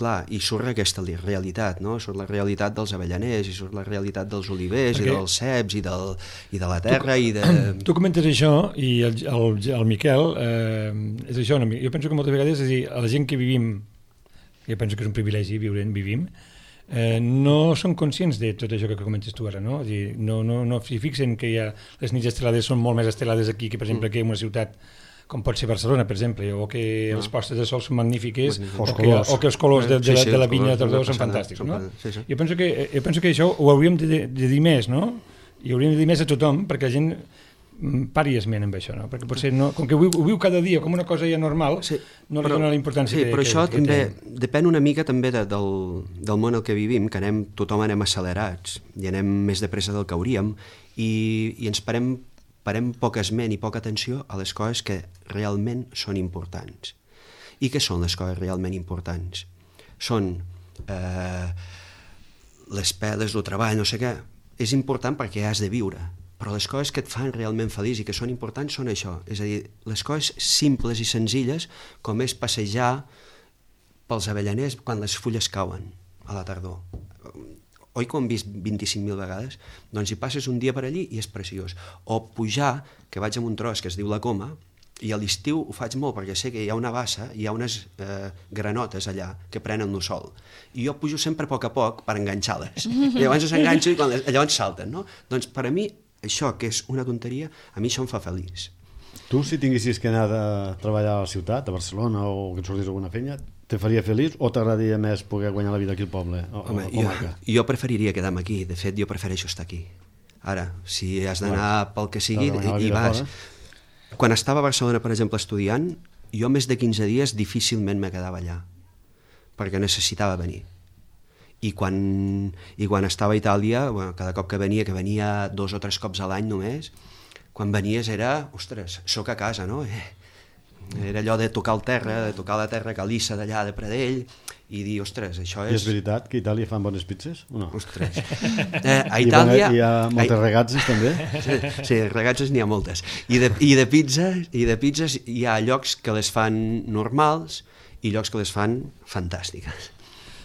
clar, i surt aquesta realitat, no? Surt la realitat dels avellaners, i surt la realitat dels olivers, Perquè... i dels ceps, i, del, i de la terra, tu, i de... Tu comentes això, i el, el, el Miquel, eh, és això, no? Jo penso que moltes vegades, és a dir, a la gent que vivim, jo penso que és un privilegi viure en vivim, Eh, no són conscients de tot això que comentes tu ara, no? És dir, no, no, no s'hi fixen que hi ha, les nits estelades són molt més estelades aquí que, per exemple, que en una ciutat com pot ser Barcelona, per exemple, o que no. les postes de sol són magnífiques, o que, o que els colors de, de, de, de la vinya de Tordó són fantàstics, no? Sí, sí. Jo, penso que, jo penso que això ho hauríem de, de dir més, no? I hauríem de dir més a tothom, perquè la gent pari esment amb això, no? Perquè potser no, com que ho viu, ho viu cada dia com una cosa ja normal, sí, no li dona la importància sí, que, però que, això que també té. Depèn una mica també de, del, del món al que vivim, que anem, tothom anem accelerats i anem més de pressa del que hauríem i, i ens parem, parem poc esment i poca atenció a les coses que realment són importants. I què són les coses realment importants? Són eh, les peles, el treball, no sé què. És important perquè has de viure, però les coses que et fan realment feliç i que són importants són això, és a dir, les coses simples i senzilles com és passejar pels avellaners quan les fulles cauen a la tardor. Oi que ho hem vist vint-i-cinc mil vegades? Doncs hi passes un dia per allí i és preciós. O pujar, que vaig a un tros que es diu la Coma, i a l'estiu ho faig molt perquè sé que hi ha una bassa, hi ha unes eh, granotes allà que prenen el sol. I jo pujo sempre a poc a poc per enganxar-les. I llavors s'enganxen i quan les, llavors salten, no? Doncs per a mi això, que és una tonteria, a mi això em fa feliç. Tu, si tinguessis que anar a treballar a la ciutat, a Barcelona, o que et sortís alguna feina, te faria feliç o t'agradaria més poder guanyar la vida aquí al poble? O, Home, o jo, jo preferiria quedar-me aquí. De fet, jo prefereixo estar aquí. Ara, si has d'anar pel que sigui, i, i vas. Fora. Quan estava a Barcelona, per exemple, estudiant, jo més de quinze dies difícilment me quedava allà, perquè necessitava venir. I quan, i quan estava a Itàlia, bueno, cada cop que venia, que venia dos o tres cops a l'any només, quan venies era, ostres, soc a casa, no? Eh, era allò de tocar el terra, de tocar la terra calissa d'allà de Pradell, i dir, ostres, això és... I és veritat que a Itàlia fan bones pizzas o no? Ostres. Eh, a Itàlia... I, bona, hi ha moltes a... regatzes també? Sí, sí, regatzes n'hi ha moltes. I de, i, de pizzas, I de pizzas hi ha llocs que les fan normals i llocs que les fan fantàstiques.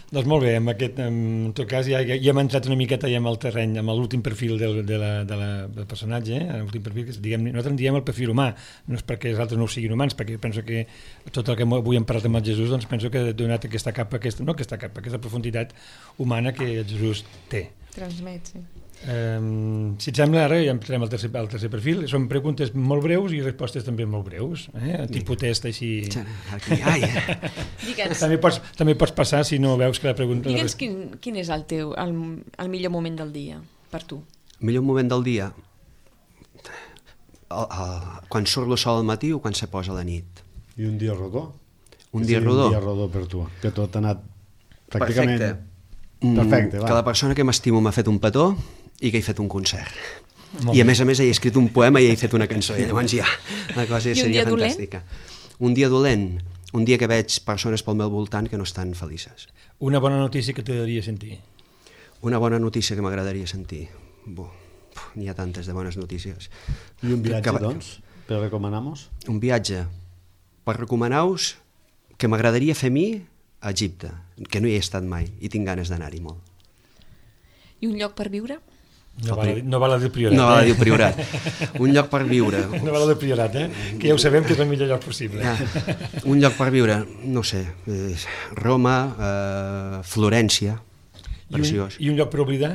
Doncs molt bé, en, aquest, en tot cas ja, ja hem entrat una miqueta ja amb el terreny, amb l'últim perfil del, de la, de la, del personatge, eh? L'últim perfil, que diguem, nosaltres en diem el perfil humà, no és perquè els altres no ho siguin humans, perquè jo penso que tot el que avui hem parlat amb el Jesús, doncs penso que ha donat aquesta capa, aquesta, no aquesta capa, aquesta profunditat humana que el Jesús té. Transmet, sí. Um, si et sembla, ara ja entrem al tercer, al tercer perfil. Són preguntes molt breus i respostes també molt breus, eh? Tipus test així. Aquí, ai. també, pots, també pots passar si no veus que la pregunta... Digue'ns quin, quin és el teu el, el millor moment del dia per tu? El millor moment del dia? El, el, quan surt el sol al matí o quan se posa la nit? I un dia rodó? Un dia rodó? Un dia rodó per tu, que tot ha anat pràcticament... Perfecte. Perfecte, va. Que la persona que m'estimo m'ha fet un petó i que he fet un concert. Molt I a més a més he escrit un poema i he fet una cançó. I llavors ja, la cosa ja seria fantàstica. Dolent? Un dia dolent? Un dia que veig persones pel meu voltant que no estan felices. Una bona notícia que t'agradaria sentir? Una bona notícia que m'agradaria sentir? Bo, n'hi ha tantes de bones notícies. I un viatge, que, doncs, per recomanar-nos? Un viatge per recomanar-vos que m'agradaria fer a mi a Egipte, que no hi he estat mai i tinc ganes d'anar-hi molt. I un lloc per viure? No val, no val a dir Priorat. No val a dir eh? Priorat. Un lloc per viure. No val a dir Priorat, eh? Que ja ho sabem que és el millor lloc possible. Ah, un lloc per viure, no sé, eh, Roma, eh, Florència, preciós. I un, I un lloc per oblidar?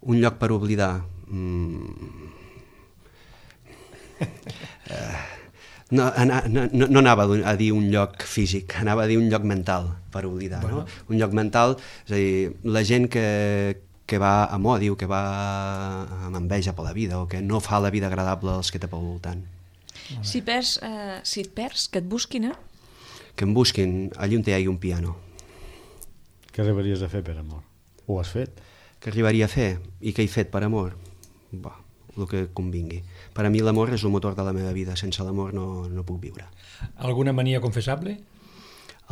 Un lloc per oblidar... Mm. eh, no, no, no, no anava a dir un lloc físic, anava a dir un lloc mental per oblidar. Bueno. No? Un lloc mental, és a dir, la gent que, que va amb odi o que va amb enveja per la vida o que no fa la vida agradable als que té pel voltant. Si, perds, eh, si et perds, que et busquin, eh? Que em busquin allà on hi hagi un piano. Què arribaries a fer per amor? Ho has fet? Què arribaria a fer? I què he fet per amor? Bah, el que convingui. Per a mi l'amor és el motor de la meva vida. Sense l'amor no, no puc viure. Alguna mania confessable?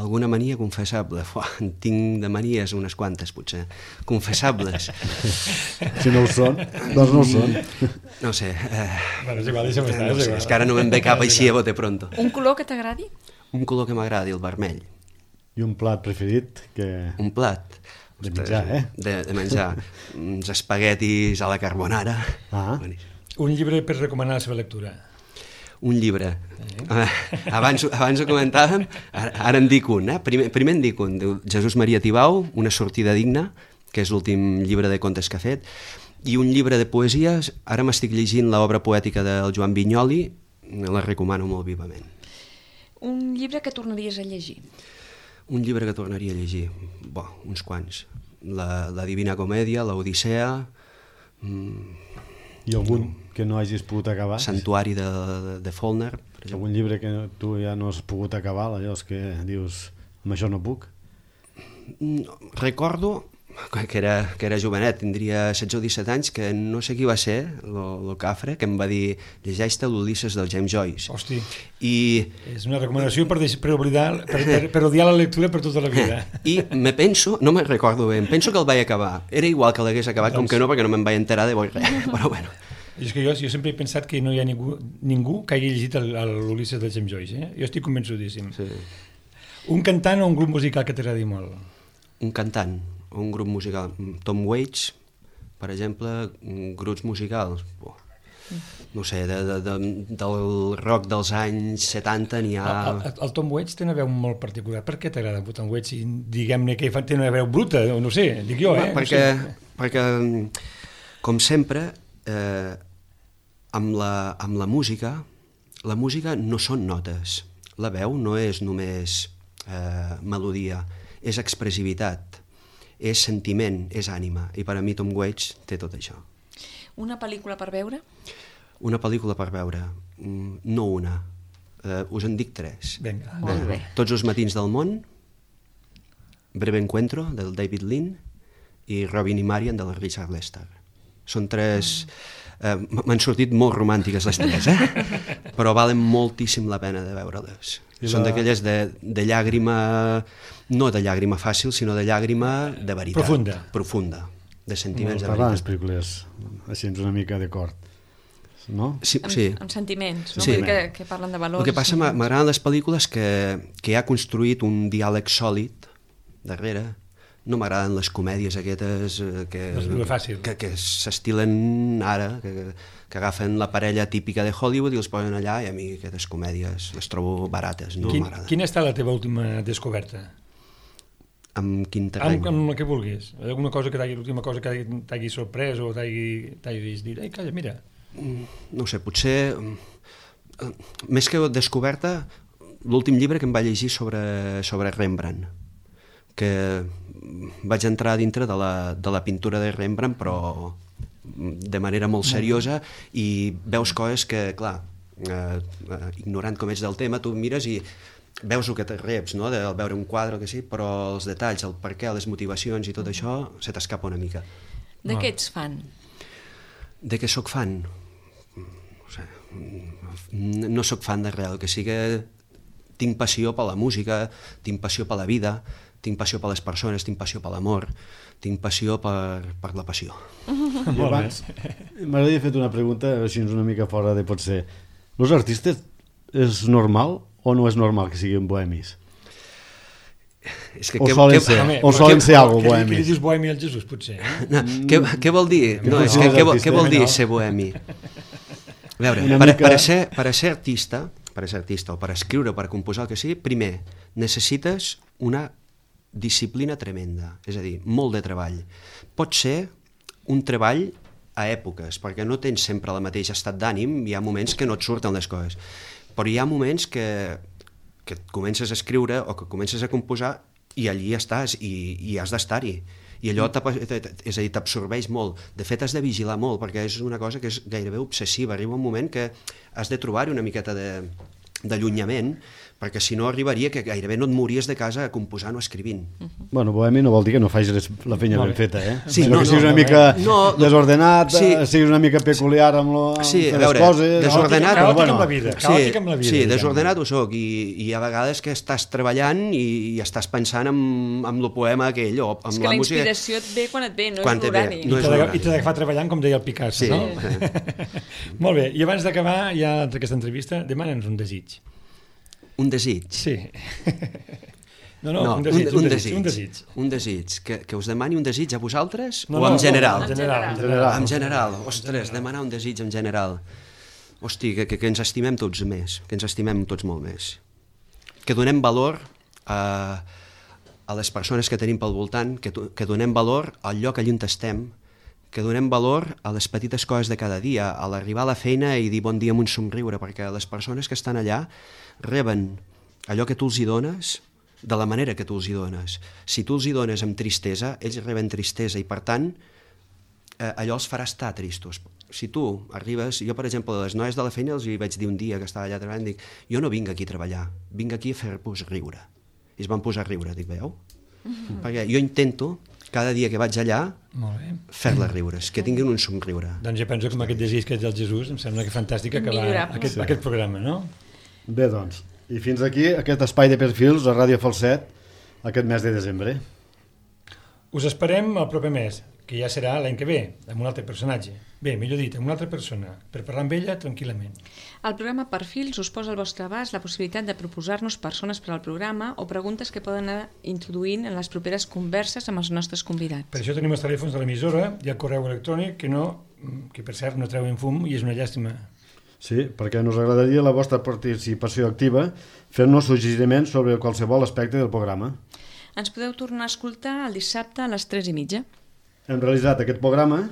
Alguna mania confessable? Fuà, en tinc de manies unes quantes, potser. Confessables. Si no ho són, doncs no ho són. No sé. Eh, bueno, és igual, deixa'm estar. no sé, és que ara no me'n ve cap així a bote pronto. Un color que t'agradi? Un color que m'agradi, el vermell. I un plat preferit que... Un plat. De menjar, eh? De, de menjar. Uns espaguetis a la carbonara. Ah. Boníssim. Un llibre per recomanar la seva lectura. Un llibre. Eh, abans, abans ho comentàvem, ara, ara en dic un. Eh? Primer, primer en dic un, diu Jesús Maria Tibau, Una sortida digna, que és l'últim llibre de contes que ha fet, i un llibre de poesies, ara m'estic llegint l'obra poètica del Joan Vinyoli, la recomano molt vivament. Un llibre que tornaries a llegir? Un llibre que tornaria a llegir? Bo, uns quants. La, la Divina Comèdia, l'Odissea... Mm, I algun que no hagis pogut acabar? Santuari de, de, de Faulkner, per exemple. Algun llibre que tu ja no has pogut acabar, allò que dius, amb això no puc? Recordo que era, que era jovenet, tindria setze o disset anys, que no sé qui va ser, el cafre, que em va dir, llegeix-te l'Ulisses del James Joyce. Hosti, I... és una recomanació per, deix, per, oblidar, per, per, per odiar la lectura per tota la vida. I me penso, no me'n recordo bé, em penso que el vaig acabar. Era igual que l'hagués acabat, doncs... com que no, perquè no me'n vaig enterar de boix res, però bueno. I és que jo, jo sempre he pensat que no hi ha ningú, ningú que hagi llegit l'Ulisses del James Joyce, eh? Jo estic convençudíssim. Sí. Un cantant o un grup musical que t'agradi molt? Un cantant o un grup musical. Tom Waits, per exemple, grups musicals. Oh, no sé, de, de, de, del rock dels anys setanta n'hi ha... El, el, el Tom Waits té una veu molt particular. Per què t'agrada el Tom Waits? Diguem-ne que té una veu bruta, no sé, dic jo, eh? Perquè, no sé. perquè com sempre, eh, amb, la, amb la música, la música no són notes. La veu no és només eh, melodia, és expressivitat, és sentiment, és ànima, i per a mi Tom Waits té tot això. Una pel·lícula per veure? Una pel·lícula per veure, no una, uh, us en dic tres. Vinga. Molt bé. Tots els matins del món, Breve Encuentro, del David Lean, i Robin i Marian, del Richard Lester. Són tres... Uh, m'han sortit molt romàntiques les tres, eh? Però valen moltíssim la pena de veure-les. La... Són d'aquelles de, de llàgrima, no de llàgrima fàcil, sinó de llàgrima de veritat. Profunda. Profunda, de sentiments de veritat. Parlant les veritat. pel·lícules així una mica d'acord, no? Sí, amb, sí. amb sentiments, no? Sí. Que, que parlen de valors. El que passa, m'agraden les pel·lícules que, que ha construït un diàleg sòlid darrere. No m'agraden les comèdies aquestes que, que, que s'estilen ara, que, que agafen la parella típica de Hollywood i els posen allà, i a mi aquestes comèdies les trobo barates, no m'agraden. Quina ha estat la teva última descoberta? Amb quin terreny? Amb, amb el que vulguis. Alguna cosa que t'hagi, l'última cosa que t'hagi sorprès o t'hagis dit, ai, calla, mira. No sé, potser, més que descoberta, l'últim llibre que em va llegir sobre, sobre Rembrandt, que vaig entrar dintre de la, de la pintura de Rembrandt, però de manera molt seriosa, i veus coses que, clar, eh, eh, ignorant com ets del tema, tu mires i veus el que te reps, no?, de veure un quadre o que sí, però els detalls, el per què, les motivacions i tot això, se t'escapa una mica. De què ets fan? De què sóc fan? No sé, no sóc fan de res, que sí que tinc passió per la música, tinc passió per la vida, tinc passió per les persones, tinc passió per l'amor, tinc passió per, per la passió. M'agradaria fer una pregunta, així una mica fora de potser. Els artistes és normal o no és normal que siguin bohemis? És que, o que, solen que, ser, home, o solen que, ser algo que, bohemis? Que li dius bohemi al Jesús, potser? Eh? No, què, què vol dir? No, és que, què, vol, què vol dir ser bohemi? A veure, per, mica... per, a ser, per a ser artista, per a ser artista o per escriure o per composar el que sigui, primer necessites una disciplina tremenda, és a dir, molt de treball. Pot ser un treball a èpoques, perquè no tens sempre el mateix estat d'ànim, hi ha moments que no et surten les coses, però hi ha moments que, que comences a escriure o que comences a composar i allí estàs i, i has d'estar-hi. I allò, és a dir, t'absorbeix molt. De fet, has de vigilar molt, perquè és una cosa que és gairebé obsessiva. Arriba un moment que has de trobar-hi una miqueta de d'allunyament, perquè si no arribaria que gairebé no et mories de casa composant o escrivint. Uh-huh. Bueno, bohemi no vol dir que no facis la feina ben feta, eh? Sí, no, no, que siguis no, una no, mica no, desordenat, sí. siguis una mica peculiar amb, lo, amb sí, les veure, coses... desordenat, caòtic bueno, amb la vida, sí, caòtic amb la vida. sí, diguem. desordenat ho soc, i, i a vegades que estàs treballant i, i estàs pensant en, en el poema aquell, o amb és que la, la música... inspiració et ve quan et ve, no Quan és et ve, l'horari. no és l'horari. I t'ha d'agafar treballant, com deia el Picasso, Sí. no? Molt bé, i abans d'acabar ja aquesta entrevista, demana'ns un desig. Un desig. Sí. No, no, No, un, desig, un, un, un desig, desig. un desig. Un desig. Que, que us demani un desig a vosaltres No, o no, en general? No, en general. En general. En general. Ostres, demanar un desig en general. Hosti, que, que, que ens estimem tots més, que ens estimem tots molt més. Que donem valor a, a les persones que tenim pel voltant, que, que donem valor al lloc allà on estem, que donem valor a les petites coses de cada dia, a l'arribar a la feina i dir bon dia amb un somriure, perquè les persones que estan allà reben allò que tu els hi dones de la manera que tu els hi dones. Si tu els hi dones amb tristesa, ells reben tristesa i, per tant, eh, allò els farà estar tristos. Si tu arribes... Jo, per exemple, a les noies de la feina els hi vaig dir un dia que estava allà treballant, dic, jo no vinc aquí a treballar, vinc aquí a fer-vos riure. I es van posar a riure, dic, veu? Mm-hmm. Perquè jo intento, cada dia que vaig allà, fer-les riures, que tinguin un somriure. Doncs jo penso que amb aquest desig que és del Jesús em sembla que fantàstic acabar aquest, Sí. aquest programa, no? Bé, doncs, i fins aquí aquest espai de perfils a Ràdio Falset aquest mes de desembre. Us esperem el proper mes, que ja serà l'any que ve, amb un altre personatge. Bé, millor dit, amb una altra persona, per parlar amb ella tranquil·lament. El programa Perfils us posa al vostre abast la possibilitat de proposar-nos persones per al programa o preguntes que poden anar introduint en les properes converses amb els nostres convidats. Per això tenim els telèfons de l'emissora i el correu electrònic, que, no, que per cert no treuen fum i és una llàstima. Sí, perquè ens agradaria la vostra participació activa fent-nos suggeriments sobre qualsevol aspecte del programa. Ens podeu tornar a escoltar el dissabte a les tres i mitja. Hem realitzat aquest programa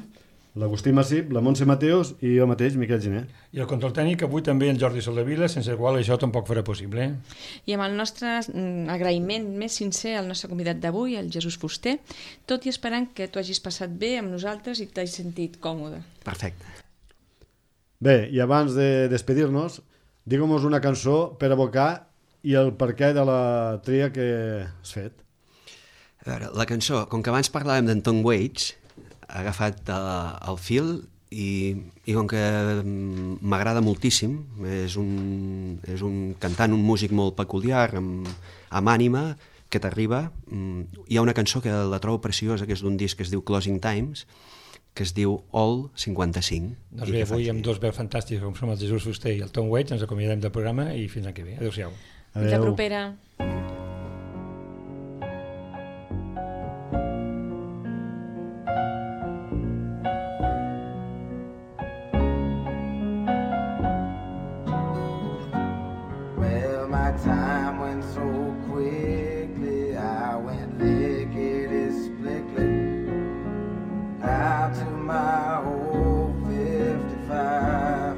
l'Agustí Massip, la Montse Mateos i jo mateix, Miquel Giner. I el control tècnic avui també en Jordi Soldevila, sense el qual això tampoc farà possible. I amb el nostre mm, agraïment més sincer al nostre convidat d'avui, el Jesús Fuster, tot i esperant que tu hagis passat bé amb nosaltres i t'hagis sentit còmode. Perfecte. Bé, i abans de despedir-nos, digueu-nos una cançó per abocar i el perquè de la tria que has fet. A veure, la cançó, com que abans parlàvem d'en Tom Waits, ha agafat uh, el fil i, i com que m'agrada moltíssim, és un, és un cantant, un músic molt peculiar, amb, amb ànima, que t'arriba. Hi ha una cançó que la trobo preciosa, que és d'un disc que es diu Closing Times, que es diu All cinquanta-cinc. Doncs bé, avui amb dos veus fantàstics com som el Jesús Fuster i el Tom Waits ens acomiadem del programa i fins l'any que ve. Adéu-siau. Fins la propera. Well, my time went so quickly, I went lickety-splickly out to my old fifty-five.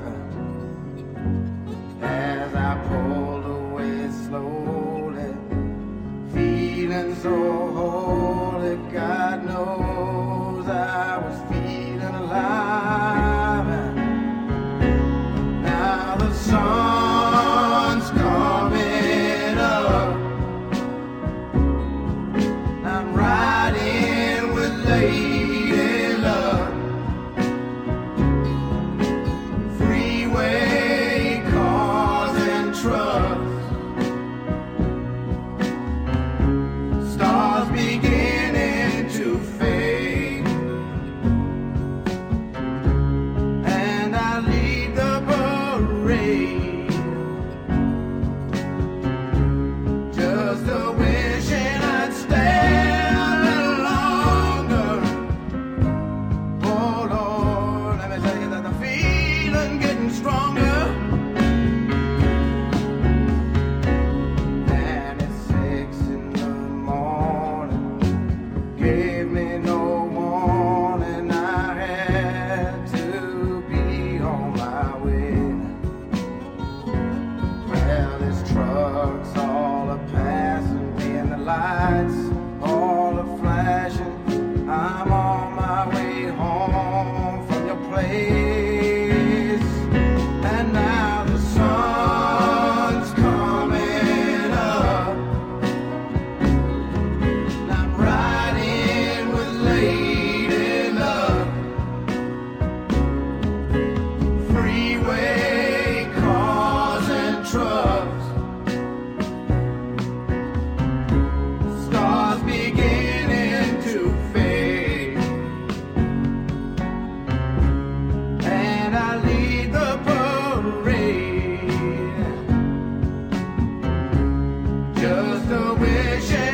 As I pulled away slowly, feeling so holy, God knows I was feeling alive. Now the sun's coming up, I'm riding with Lady Luck. Freeway cars and trucks, stars beginning to fade, and I lead the parade, just a wishing I'd stay a little longer. Oh Lord, let me tell you that the feeling getting stronger. And it's six in the morning, gave me no warning, I had to be on my way. Well, this truck's all a passing me and the lights all a flashing. I'm on my way home from your place, and now the sun's coming just a wish.